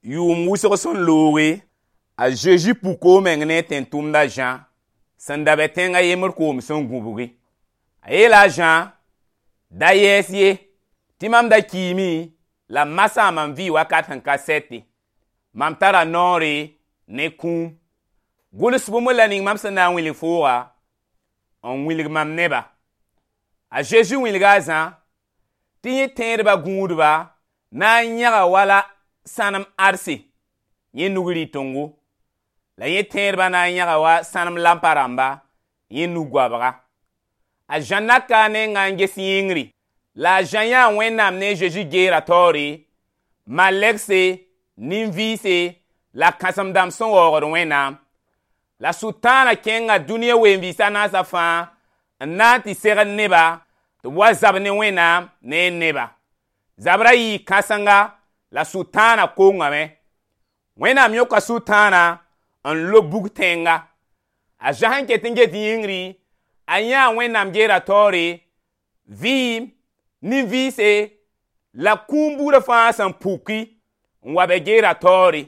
Yʋʋm wʋsg sẽn looge, a Zeezi puka a meng ne tẽn-tʋmd a Zã sẽn da be tẽng a yembr koom sẽn gũbgi. A yeela a Zã: da yɛɛs ye, tɩ mam da kiime la masã mam vɩ wakat sẽn ka sɛte. Mam tara noore ne kũum. Gʋls bũmb la ning mam sẽn na n wilg fooga n wilg mam neba. A Zeezi wilga a Zã tɩ yẽ tẽedba gũudba na n yãga wala sãnem adse yẽ nug rɩtẽngo, la yẽ tẽedba na n yãga wa sãnem lampa rãmba yẽ nug-goabga. A Zã naka a nenga n ges yĩngri, la a Zã yãa Wẽnnaam ne a Zeezi geera taoore, malɛgse, nin-vɩɩse la kãsem-dãmb sẽn waoogd Wẽnnaam. La Sʋtãana kẽnga dũniyã ween-vɩɩs a naasã fãa n na n tɩ segd neba tɩ b wa zab ne Wẽnnaam ne a neba. Zabrã yɩɩ kãsenga la Sʋtãana kongame. Wẽnnaam yõka Sʋtãana n lob bug tẽnga. A Zã sẽn ket n get yĩngri, a yãa Wẽnnaam geera taoore, vɩɩm, nin-vɩɩse la kũum buudã fãa sẽn puki n wa be geera taoore.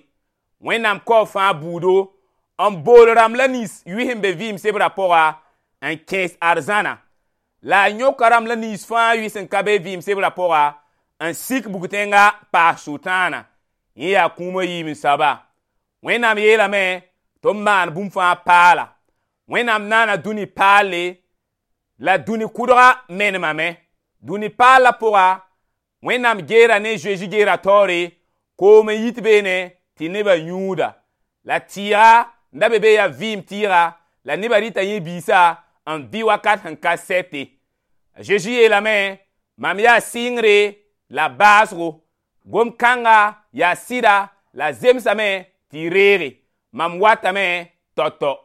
Wẽnnaam kaoog fãa buudo n bool rãmb la nins yʋɩ sẽn be vɩɩm sebrã pʋga n kẽes arzãna. La a yõka rãmb la nins fãa yʋɩ sẽn ka be vɩɩm sebrã pʋga n sik bug-tẽnga paas Sʋtãana. Yẽ yaa kũuma yiib n soaba. Wẽnnaam yeelame tɩ b maan bũmb fãa paala. Wẽnnaam naana dũni paalle la dũni kʋdga menemame. Dũni paalla pʋga, Wẽnnaam geera ne Zeezi geera taoore, koom n yit beene tɩ nebã yũuda. La tɩɩga n da be be yaa vɩɩm tɩɩga, la nebã rɩta yẽ biisã n vɩ wakat sẽn ka sɛte. A Zeezi yeelame: mam yaa sɩngre la baasgo. Gom-kãnga yaa sɩda la zemsame tɩ y reege. Mam watame tao-tao.